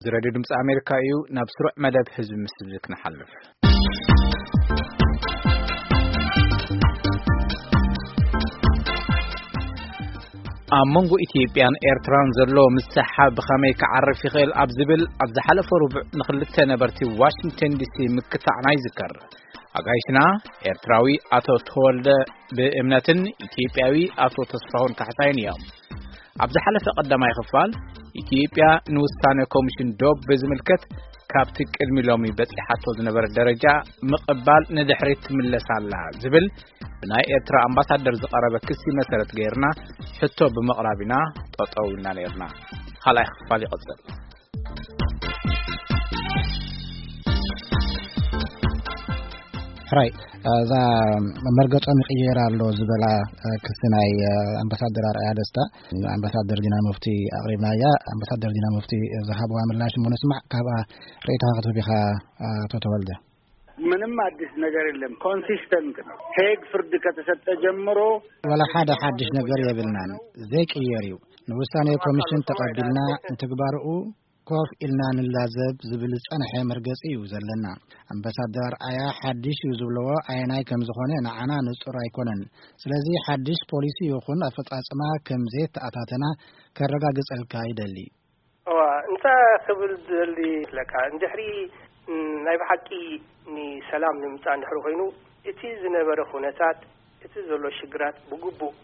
እዚ ሬድዮ ድምፂ ኣሜሪካ እዩ። ናብ ስሩዕ መደብ ህዝቢ ምስል ክንሓልፍ፣ ኣብ መንጎ ኢትዮጵያን ኤርትራን ዘሎ ምስሕሓብ ብኸመይ ክዓርፍ ይኽእል ኣብ ዝብል ኣብ ዝሓለፈ ርቡዕ ንኽልተ ነበርቲ ዋሽንግተን ዲሲ ምክታዕና ይዝከር። ኣጋይሽና ኤርትራዊ ኣቶ ተወልደ ብእምነትን ኢትዮጵያዊ ኣቶ ተስፋሁን ካሕሳይን እዮም። ኣብ ዝሓለፈ ቀዳማይ ክፋል፣ ኢትዮጵያ ንውሳነ ኮሚሽን ዶብ ብዝምልከት ካብቲ ቅድሚ ሎሚ በጺሓቶ ዝነበረ ደረጃ ምቕባል ንድሕሪት ትምለስ ኣላ ዝብል ብናይ ኤርትራ ኣምባሳደር ዝቐረበ ክሲ መሰረት ገይርና ሕቶ ብምቕራብ ኢና ጠጠው ኢልና ነይርና። ካልኣይ ክፋል ይቕጽል። ሕራይ፣ እዛ መርገጾም ይቕየር ኣሎ ዝበላ ክሲ ናይ ኣምባሳደር ኣርኣያ ደስታ፣ ኣምባሳደር ዲና ሙፍቲ ኣቕሪብናያ። ኣምባሳደር ዲና ሙፍቲ ዝሃብዋ ምላሽ እሞ ንስማዕ፣ ካብኣ ርእይቶኻ ክትህብ ኢኻ ኣቶ ተወልደ። ምንም አዲስ ነገር የለም። ኮንሲስተንት ነው። ሄግ ፍርድ ከተሰጠ ጀምሮ ወላ ሓደ ሓድሽ ነገር የብልናን። ዘይቅየር እዩ። ንውሳኔ ኮሚሽን ተቐቢልና ንትግባርኡ ኮፍ ኢልና ንላዘብ ዝብል ዝጸንሐ መርገጺ እዩ ዘለና። ኣምባሳደር ኣርኣያ ሓድሽ እዩ ዝብልዎ ኣየናይ ከም ዝኾነ ንዓና ንጹር ኣይኮነን። ስለዚ ሓድሽ ፖሊሲ ይኹን ኣፈጻጽማ ከም ዘየተኣታተና ከረጋግጸልካ ይደሊ። እዋ፣ እንታይ ክብል ዝደሊ ኣለካ? እንድሕሪ፣ ም፣ ናይ ብሓቂ ንሰላም ንምምጻእ እንድሕሪ ኮይኑ፣ እቲ ዝነበረ ኩነታት፣ እቲ ዘሎ ሽግራት ብግቡእ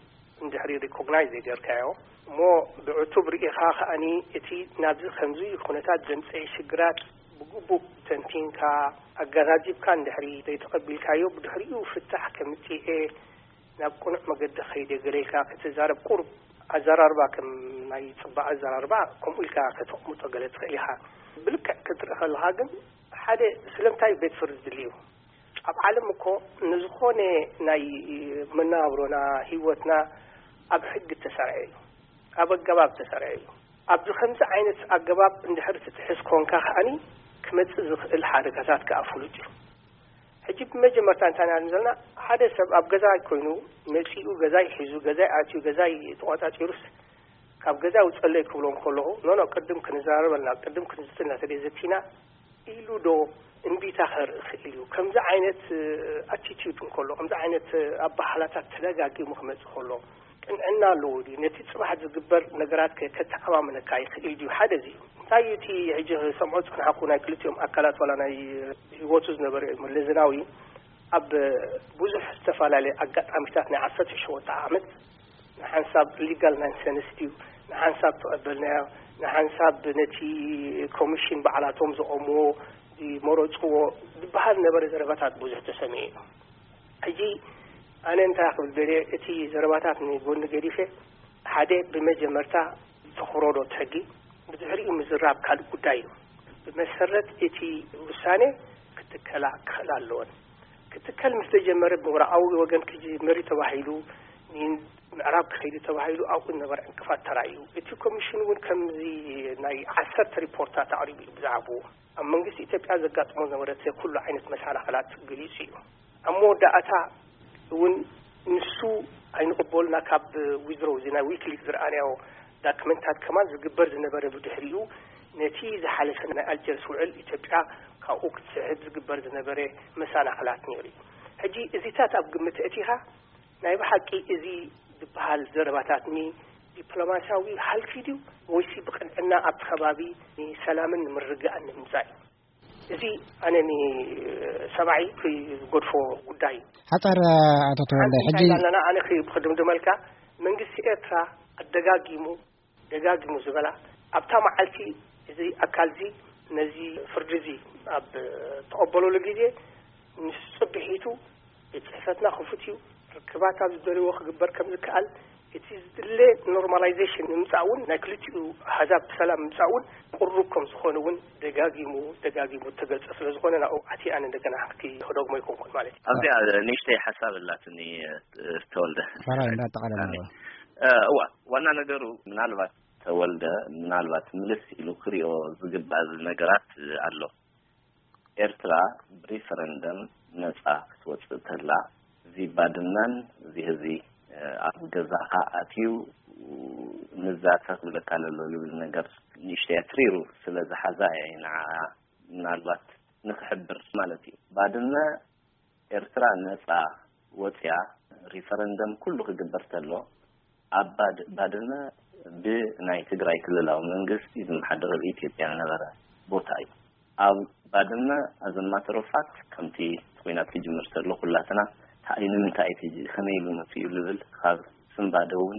እንድሕሪ ሪኮግናይዝ ዘይገርካዮ፣ እሞ ብዕቱብ ርኢኻ ከኣኒ፣ እቲ ናብዚ ከምዚ ኩነታት ዘምጽአ ሽግራት ብግቡእ ተንቲንካ፣ ኣገናዚብካ እንድሕሪ ዘይተቐቢልካዮ፣ ብድሕሪኡ ፍታሕ ከምጽኤ ናብ ቅኑዕ መገዲ ከይደ ገለ ኢልካ ክትዛረብ፣ ቁሩብ ኣዘራርባ ከም ናይ ጽባቐ ኣዘራርባ ከምኡ ኢልካ ከተቕምጦ ገለ ትኽእል ኢኻ። ብልክዕ ክትርኢ ከለኻ ግን፣ ሓደ ስለምንታይ ቤት ፍርዲ ድልዩ? ኣብ ዓለም እኮ ንዝኾነ ናይ መነባብሮና፣ ህይወትና ኣብ ሕጊ እተሰርዐ እዩ፣ ኣብ ኣገባብ እተሰርዐ እዩ። ኣብዚ ከምዚ ዓይነት ኣገባብ እንድሕር ትጥሕስ ኮንካ ከኣኒ ክመጽእ ዝኽእል ሓደጋታት ከኣ ፍሉጥ እዩ። ሕጂ ብመጀመርታ እንታይ ኢና ዘለና? ሓደ ሰብ ኣብ ገዛ ኮይኑ መጺኡ፣ ገዛይ ሒዙ፣ ገዛይ ኣትዩ፣ ገዛይ ተቖጻጺሩስ፣ ካብ ገዛ ውጸለይ ክብሎ እንከለኹ፣ ኖ፣ ኖ፣ ቅድም ክንዘራረብ ኣለና፣ ቅድም ክንዝቲ እናተደይ ዘቲና ኢሉ ዶ እምቢታ ከርኢ ይኽእል እዩ? ከምዚ ዓይነት፣ እ፣ ኣቲቲዩድ እንከሎ፣ ከምዚ ዓይነት፣ እ፣ ኣበሃህላታት ተደጋጊሙ ክመጽእ ከሎ፣ ቅንዕና ኣለዎ ድዩ? ነቲ ጽባሕ ዝግበር ነገራት ከ-፣ ከተኣማምነካ ይኽእል ድዩ? ሓደ እዚ እዩ። እንታይ እዩ እቲ ሕጂ ክሰምዖ ዝጸናሕኩ ናይ ክልቲኦም ኣካላት ዋላ ናይ ህይወቱ ዝነበረ መለስ ዜናዊ ኣብ ብዙሕ ዝተፈላለየ ኣጋጣሚታት ናይ ዓሰርተ ሸውዓተ ዓመት ንሓንሳብ ሊጋል ናንሰንስ ድዩ፣ ንሓንሳብ ተቐበልናዮ፣ ንሓንሳብ ነቲ ኮሚሽን ባዕላቶም ዘቐምዎ ዝመረጽዎ ዝበሃል ነበረ ዘረባታት ብዙሕ ተሰሚዑ እዩ። ሕጂ ኣነ እንታይ ክብል ደልየ፣ እቲ ዘረባታት ንጎኒ ገዲፈ፣ ሓደ ብመጀመርታ ተኽብሮ ዶ እቲ ሕጊ፣ ብድሕሪኡ ምዝራብ ካልእ ጉዳይ እዩ። ብመሰረት እቲ ውሳኔ ክትከላ ክኽእላ ኣለወን። ክትከል ምስ ተጀመረ ብምዕራባዊ ወገን ክጅመር እዩ ተባሂሉ፣ ንምዕራብ ክኸይዱ ተባሂሉ ኣብኡ ዝነበረ ዕንቅፋት ተራእዩ። እቲ ኮሚሽን እውን ከምዚ ናይ ዓሰርተ ሪፖርታት ኣቕሪቡ እዩ ብዛዕባኡ። ኣብ መንግስቲ ኢትዮጵያ ዘጋጥሞ ዝነበረ ኩሉ ዓይነት መሰናኽላት ገሊጹ እዩ። ኣብ መወዳእታ እውን ንሱ ኣይንቕበሉና ካብ ዊዝድሮው እዚ ናይ ዊኪሊክስ ዝረኣናዮ ዳክመንታት ከማን ዝግበር ዝነበረ ብድሕሪኡ ነቲ ዝሓለፈ ናይ ኣልጀርስ ውዕል ኢትዮጵያ ካብኡ ክትስሕብ ዝግበር ዝነበረ መሰናኽላት ነይሩ እዩ። ሕጂ እዚታት ኣብ ግምት ኣእቲኻ ናይ ብሓቂ እዚ ዝበሃል ዘረባታት ንዲፕሎማስያዊ ሃልኪ ድዩ ወይሲ ብቕንዕና ኣብቲ ከባቢ ንሰላምን ንምርግጋእን ንምምጻእ እዩ? እዚ ኣነ ንሰብኣይ ክገድፎ ጉዳይ እዩ። ሓጻር ኣቶ ተወልደ፣ ሕጂ እንታይ ኣለና? ኣነ ክድምድመልካ፣ መንግስቲ ኤርትራ ኣደጋጊሙ ደጋጊሙ ዝበላ፣ ኣብታ መዓልቲ እዚ ኣካል እዚ ነዚ ፍርዲ እዚ ኣብ ተቐበለሉ ግዜ፣ ንሱ ጽብሒቱ ቤት ጽሕፈትና ክፉት እዩ፣ ርክባት ኣብ ዝደልዎ ክግበር ከም ዝከኣል፣ እቲ ዝድለ ኖርማላይዜሽን ንምጻእ እውን፣ ናይ ክልቲኡ ኣህዛብ ሰላም ምምጻእ እውን ቅሩብ ከም ዝኾነ እውን ደጋጊሙ ደጋጊሙ ተገልጸ ስለ ዝኾነ፣ ናብኡ ኣትየ ኣነ እንደገና ክደግሞ ኣይኮንኩን ማለት እዩ። ኣብዚኣ ንእሽተይ ሓሳብ ኣላትኒ፣ ተወልደ። ሰራይ እንዳጠቓለልና። እ፣ እዋ፣ ዋና ነገሩ ምናልባት ተወልደ ምናልባት ምልስ ኢሉ ክሪኦ ዝግባእ ነገራት ኣሎ። ኤርትራ ብሪፈረንደም ነጻ ክትወጽእ ተላ፣ እዚ ባድመን እዚ ህዚ፣ እ፣ ኣብ ገዛኻ ኣትዩ ንዛ ተኽብለካ ለሎ ዝብል ነገር ንእሽተያ ትሪሩ ስለ ዝሓዛ እየ ንዓ ምናልባት ንኽሕብር ማለት እዩ። ባድመ ኤርትራ ነጻ ወጽያ ሪፈረንደም ኩሉ ክግበር ተሎ ኣብ ባድ- ባድመ ብናይ ትግራይ ክልላዊ መንግስቲ ዝመሓደር ኢትዮጵያ ዝነበረ ቦታ እዩ። ኣብ ባድመ ኣዘማተሮፋት ከምቲ ኮይናት ክጅምር ተሎ ኩላትና ታእይ ንምንታይ እቲ ከመይ ኢሉ መፅኡ ልብል ካብ ስንባደ እውን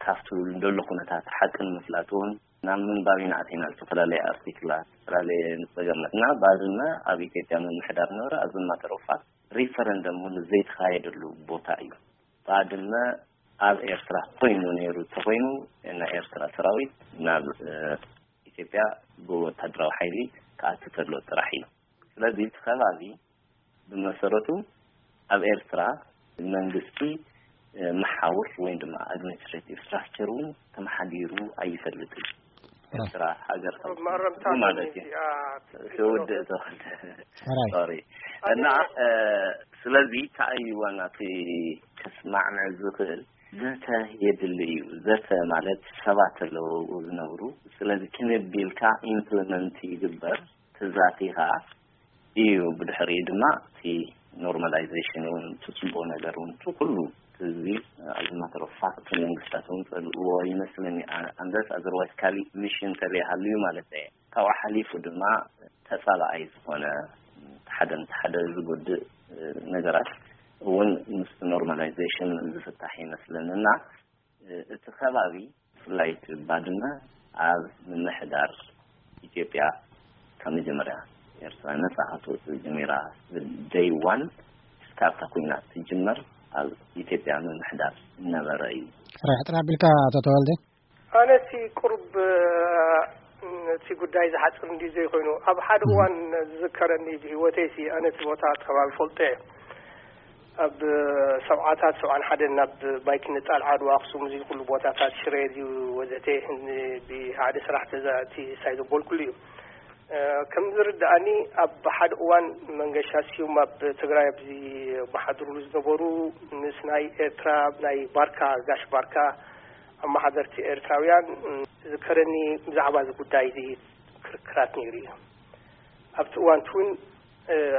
ካብቲ ደሎ ኩነታት ሓቂ ንምፍላጥ እውን ናብ ምንባብ ኢና ኣቲና። ዝተፈላለየ ኣርቲክላት፣ ዝተፈላለየ ንፀገማት እና ባድመ ኣብ ኢትዮጵያ ምምሕዳር ነበረ። ኣዘማተሮፋት ሪፈረንደም እውን ዘይተኻየደሉ ቦታ እዩ። ባድመ ኣብ ኤርትራ ኮይኑ ነይሩ ተኮይኑ ናይ ኤርትራ ሰራዊት ናብ ኢትዮጵያ ብወታደራዊ ሓይሊ ክኣቱ ተሎ ጥራሕ እዩ። ስለዚ እቲ ከባቢ ብመሰረቱ ኣብ ኤርትራ መንግስቲ መሓውር ወይ ድማ ኣድሚኒስትሬቲቭ ስትራክቸር እውን ተመሓዲሩ ኣይፈልጥን። ኤርትራ ሃገር ማለት እዩ። ትውድእ ተወልደ ሶሪ እና ስለዚ ተኣይዋ ናቲ ከስማዕምዕ ዝኽእል ዘተ የድሊ እዩ። ዘተ ማለት ሰባት ኣለዉ ዝነብሩ። ስለዚ ክነቢልካ ኢምፕሊመንት ይግበር። ትዛቲ ከዓ እዩ። ብድሕሪኡ ድማ እቲ ኖርማላይዜሽን እውን እቲ ፅቡቅ ነገር እውን እቲ ኩሉ ህዝቢ ኣዝማተሮ ፋክት መንግስታት እውን ፀልእዎ ይመስለኒ። ኣንደስ ኣዘርዋይስ ካሊእ ሚሽን ተለይሃሉ እዩ ማለት እየ። ካብኡ ሓሊፉ ድማ ተፃላኣይ ዝኾነ ሓደ ምስ ሓደ ዝጎድእ ነገራት እውን ምስ ኖርማላይዜሽን ዝፍታሕ ይመስለኒ እና እቲ ከባቢ ብፍላይ እቲ ባድመ ኣብ ምምሕዳር ኢትዮጵያ ካብ መጀመርያ ኤርትራ ነፃ ክትወፅእ ጀሚራ ደይ ዋን እስካብታ ኩናት ትጅመር ኣብ ኢትዮጵያ ምምሕዳር ነበረ እዩ። ሕጥር ኣቢልካ ኣቶ ተወልደ። ኣነሲ ቁሩብ እቲ ጉዳይ ዝሓፅር እንዲ ዘይኮይኑ ኣብ ሓደ እዋን ዝዝከረኒ ብህይወተይሲ ኣነቲ ቦታ ከባቢ ፈልጦ እየ። ኣብ ሰብዓታት ሰብዓን ሓደን ናብ ባይክ ንጣል ዓድዋ ኣክሱም እዚ ኩሉ ቦታታት ሽሬ ድዩ ወዘተ ብሓደ ስራሕ ተዛእቲ ሳይ ዘበልኩሉ እዩ። ከም ዝርዳእኒ ኣብ ሓደ እዋን መንገሻ ስዩም ኣብ ትግራይ ኣብዚ መሓድሩሉ ዝነበሩ ምስ ናይ ኤርትራ ናይ ባርካ ጋሽ ባርካ ኣመሓደርቲ ኤርትራውያን ዝከረኒ ብዛዕባ እዚ ጉዳይ እዚ ክርክራት ነይሩ እዩ። ኣብቲ እዋንቲ እውን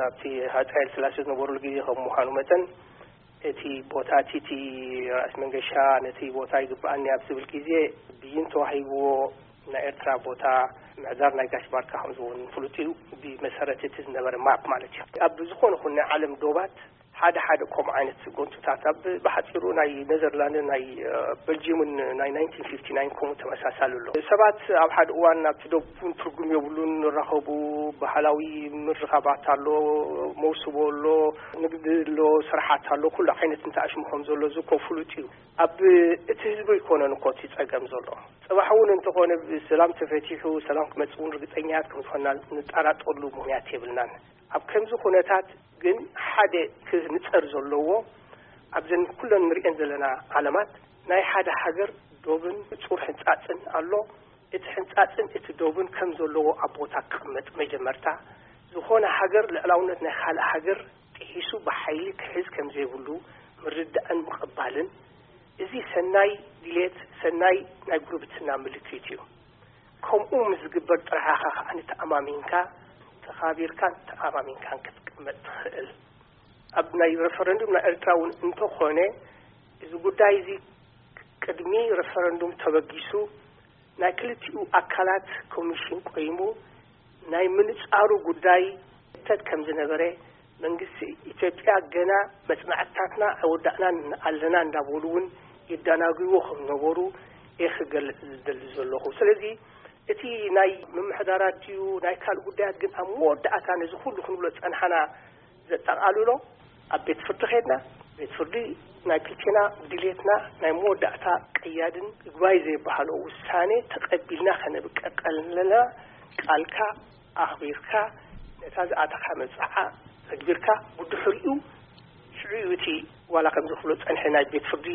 ኣብቲ ሃፀ ሃይለ ስላሴ ዝነበሩሉ ግዜ ከም ምዃኑ መጠን እቲ ቦታ እቲ እቲ ራእሲ መንገሻ ነቲ ቦታ ይግብኣኒ ኣብ ዝብል ግዜ ብይን ተዋሂብዎ ናይ ኤርትራ ቦታ ምዕዛር ናይ ጋሽ ባርካ ከም ዝኸውን ፍሉጥ እዩ። ብመሰረት እቲ ዝነበረ ማፕ ማለት እዩ። ኣብ ዝኾነ ኹን ናይ ዓለም ዶባት ሓደ ሓደ ከምኡ ዓይነት ጎንፅታት ኣብ ብሓፂሩ ናይ ኔዘርላንድን ናይ በልጅምን ናይ ናይንቲን ፊፍቲ ናይን ከምኡ ተመሳሳሊ ኣሎ። ሰባት ኣብ ሓደ እዋን ኣብቲ ዶብ እውን ትርጉም የብሉን ንራኸቡ ባህላዊ ምርኻባት ኣሎ፣ መውስቦ ኣሎ፣ ንግዲ ኣሎ፣ ስራሓት ኣሎ፣ ኩሉ ዓይነት እንተኣሽሙ ከም ዘሎ እዚ እኮ ፍሉጥ እዩ። ኣብ እቲ ህዝቢ ኣይኮነን እኮ እቲ ፀገም ዘሎ። ፅባሕ እውን እንተኾነ ሰላም ተፈቲሑ ሰላም ክመፅእ እውን ርግፀኛት ከም ዝኾንና ንጠራጠሉ ምክንያት የብልናን። ኣብ ከምዚ ኩነታት ግን ሓደ ክንፀር ዘለዎ ኣብዘን ኩለን ንሪኤን ዘለና ዓለማት ናይ ሓደ ሃገር ዶብን ፁር ሕንፃፅን ኣሎ። እቲ ሕንፃፅን እቲ ዶብን ከም ዘለዎ ኣብ ቦታ ክቕመጥ መጀመርታ ዝኾነ ሃገር ልዕላውነት ናይ ካልእ ሃገር ጥሒሱ ብሓይሊ ክሕዝ ከም ዘይብሉ ምርዳእን ምቕባልን እዚ ሰናይ ድሌት ሰናይ ናይ ጉርብትና ምልክት እዩ። ከምኡ ምስ ዝግበር ጥራሕ ኢኻ ከዓኒ ተኣማሚንካ ተኻቢርካን ተኣማሚንካን ክትቅመጥ ትኽእል። ኣብ ናይ ሬፈረንዱም ናይ ኤርትራ እውን እንተኾነ እዚ ጉዳይ እዚ ቅድሚ ሬፈረንዱም ተበጊሱ ናይ ክልቲኡ ኣካላት ኮሚሽን ቆይሙ ናይ ምንጻሩ ጉዳይ ተት ከም ዝነበረ መንግስቲ ኢትዮጵያ ገና መጽናዕትታትና ኣይወዳእናን ኣለና እንዳበሉ እውን ይደናግይዎ ከም ነበሩ እየ ክገልጽ ዝደሊ ዘለኹ። ስለዚ እቲ ናይ ምምሕዳራት ድዩ ናይ ካልእ ጉዳያት ግን ኣብ መወዳእታ ነዚ ኩሉ ክንብሎ ዝጸንሓና ዘጠቓልሎ ኣብ ቤት ፍርዲ ከድና ቤት ፍርዲ ናይ ክልቴና ድሌትና ናይ መወዳእታ ቀያድን ይግባይ ዘይበሃሎ ውሳኔ ተቐቢልና ከነብቀቀል ኣለና። ቃልካ ኣኽቢርካ ነታ ዝኣተኻ መብጽዓ ተግቢርካ ብድሕሪኡ ሽዑ እዩ እቲ ዋላ ከም ዝኽፍሎ ጸንሐ ናይ ቤት ፍርዲ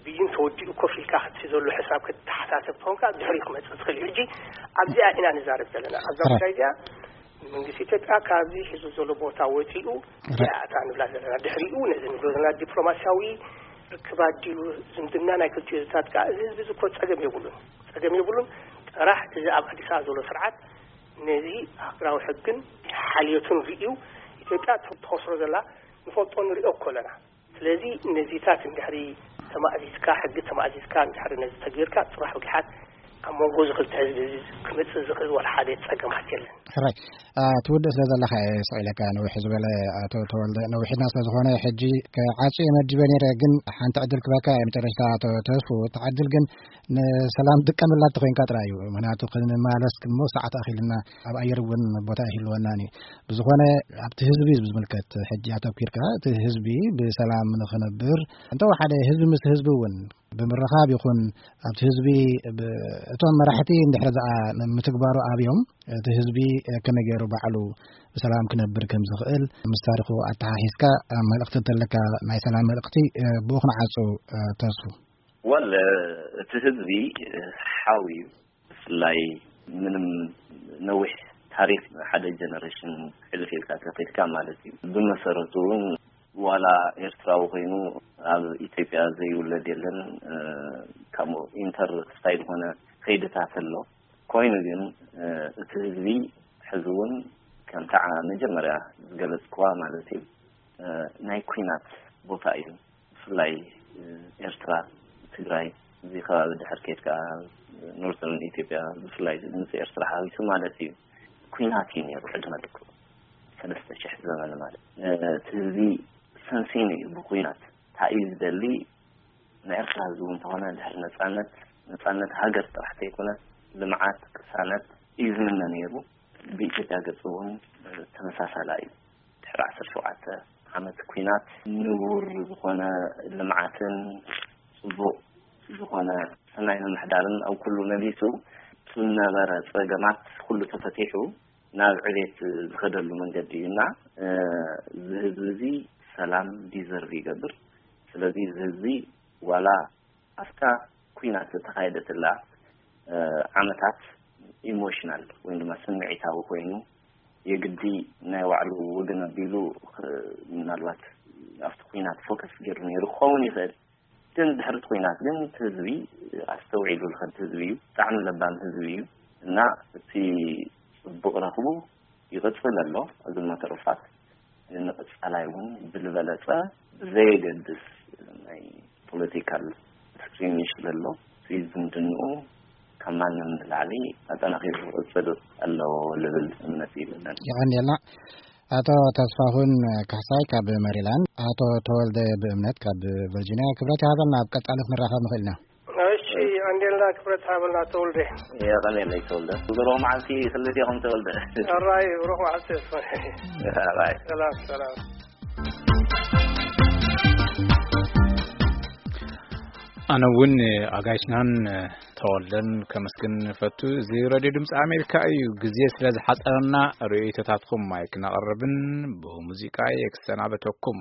ብይን ተወዲኡ ኮፍ ኢልካ እቲ ዘሎ ሕሳብ ከተሓሳሰብ ተኾንካ ድሕሪኡ ክመጽእ ትኽእል እዩ። ሕጂ ኣብዚኣ ኢና ንዛረብ ዘለና። ኣብዛ ጉዳይ እዚኣ መንግስቲ ኢትዮጵያ ካብዚ ሒዙ ዘሎ ቦታ ወፂኡ እዚኣ እታ ንብላ ዘለና ድሕሪኡ ነዚ ንብሎ ዘለና ዲፕሎማሲያዊ ክባድ ድዩ ዝምድና ናይ ክልቲኡ ህዝብታት ከኣ፣ እዚ ህዝቢ እዚ እኮ ጸገም የብሉን፣ ጸገም የብሉን። ጥራሕ እዚ ኣብ ኣዲስ ኣበባ ዘሎ ስርዓት ነዚ ሃገራዊ ሕግን ሓልዮቱን ርእዩ፣ ኢትዮጵያ ትኸስሮ ዘላ ንፈልጦ ንርእዮ እኮ ኣለና። ስለዚ ነዚታት እንድሕሪ ተማእዚዝካ፣ ሕጊ ተማእዚዝካ እንድሕሪ ነዚ ተግቢርካ፣ ጽባሕ ብጊሓት ኣብ መንጎ እዚ ክልተ ህዝቢ እዚ ክመጽእ ዝኽእል ዋላ ሓደ ጸገማት የለን። ሕራይ፣ ትውድእ ስለ ዘለኻ እየ ስቕ ኢለካ። ነዊሕ ዝበለ፣ ኣቶ ተወልደ፣ ነዊሕና ስለ ዝኾነ ሕጂ ክዓጹ እየ መዲበ ነይረ፣ ግን ሓንቲ ዕድል ክበካ እየ መጨረሽታ፣ ኣቶ ተስፉ። እቲ ዕድል ግን ንሰላም ጥቀምላ እንተኾይንካ ጥራይ እዩ። ምኽንያቱ ክንመላለስ እሞ ሰዓት ኣኺልና ኣብ ኣየር እውን ቦታ ኣይህልወናን እዩ። ብዝኾነ ኣብቲ ህዝቢ እዩ ዝምልከት። ሕጂ ኣተኲርካ እቲ ህዝቢ ብሰላም ንኽነብር እንተወሓደ ህዝቢ ምስ ህዝቢ እውን ብምርኻብ ይኹን ኣብቲ ህዝቢ ብ-፣ እቶም መራሕቲ እንድሕር ዝኣ ምትግባሩ ኣብዮም እቲ ህዝቢ ከመይ ገይሩ ባዕሉ ብሰላም ክነብር ከም ዝኽእል ምስ ታሪኹ ኣተሓሒዝካ መልእኽቲ እንተለካ ናይ ሰላም መልእኽቲ ብኡ ክንዓጹ ተስፉ። ወል እቲ ህዝቢ ሓው እዩ። ብፍላይ ምንም ነዊሕ ታሪኽ ሓደ ጀነሬሽን ሕልፍ ኢልካ ተኸድካ ማለት እዩ። ብመሰረቱ እውን ዋላ ኤርትራዊ ኮይኑ ኣብ ኢትዮጵያ ዘይውለድ የለን። ከምኡ ኢንተር ስታይ ዝኾነ ከይድታት ኣሎ። ኮይኑ ግን እቲ ህዝቢ ሕዚ እውን ከምታ መጀመርያ ዝገለጽክዋ ማለት እዩ ናይ ኩናት ቦታ እዩ። ብፍላይ ኤርትራ፣ ትግራይ፣ እዚ ከባቢ ድሕር ከይድካ ኖርዘርን ኢትዮጵያ፣ ብፍላይ ምስ ኤርትራ ሓዊሱ ማለት እዩ፣ ኩናት እዩ ነይሩ ዕድመ ልክዑ፣ ሰለስተ ሽሕ ዘመን ማለት። እቲ ህዝቢ ሰንሲኑ እዩ ብኩናት። እንታይ እዩ ዝደሊ? ንኤርትራ ህዝቢ እውን እንተኾነ ድሕሪ ነጻነት፣ ነጻነት ሃገር ጥራሕ ተይኮነ፣ ልምዓት፣ ቅሳነት እዩ ዝምነ ነይሩ። ብኢትዮጵያ ገጽ እውን ተመሳሳላ እዩ። ድሕሪ ዓሰርተ ሸውዓተ ዓመት ኩናት ንቡር ዝኾነ ልምዓትን ጽቡቕ ዝኾነ ሰናይ ምምሕዳርን ኣብ ኩሉ መሊሱ፣ ዝነበረ ጸገማት ኩሉ ተፈቲሑ ናብ ዕቤት ዝኸደሉ መንገዲ እዩ እና፣ እዚ ህዝቢ እዚ ሰላም ዲዘርቭ ይገብር። ስለዚ እዚ ህዝቢ ዋላ ኣብታ ኩናት ዝተኻየደትላ ዓመታት ኢሞሽናል ወይ ድማ ስምዒታዊ ኮይኑ፣ የግዲ ናይ ባዕሉ ወገን ኣቢሉ፣ ምናልባት ኣብቲ ኩናት ፎከስ ገይሩ ነይሩ ክኸውን ይኽእል። ግን ድሕሪ እቲ ኩናት ግን እቲ ህዝቢ ኣስተውዒሉ ዝኸድ ህዝቢ እዩ። ብጣዕሚ ለባም ህዝቢ እዩ እና እቲ ጽቡቕ ረኽቡ ይቕጽል ኣሎ። እዞም መተርፋት ንቐጻላይ እውን ብዝበለጸ ብዘየገድስ ናይ ፖለቲካል ስክሪምሽ ዘሎ፣ እዚ ዝምድንኡ ካብ ማንም ንላዕሊ ኣጠናኺሩ ክቕጽል ኣለዎ ልብል እምነት ይብለን። የቐንየልና። ኣቶ ተስፋሁን ካሕሳይ ካብ ሜሪላንድ፣ ኣቶ ተወልደ ብእምነት ካብ ቨርጂኒያ። ክብረት ይሃበልና፣ ኣብ ቀጻሊ ክንራኸብ ንኽእል ኢና። እሺ፣ ኣንዴልና ክብረት ሃበልና ተወልደ። የቐንየለይ ተወልደ። ብሩኽ መዓልቲ ክልቴኹም ተወልደ። ኣራይ ብሩኽ መዓልቲ። ኣራይ። ሰላም፣ ሰላም። ኣነ እውን ኣጋይሽናን ተወልደን ከመስግን እፈቱ። እዚ ሬድዮ ድምፂ ኣሜሪካ እዩ። ግዜ ስለ ዝሓፀረና ርእይቶታትኩም ማይክ ነቕርብን ብሙዚቃ የክሰናበተኩም።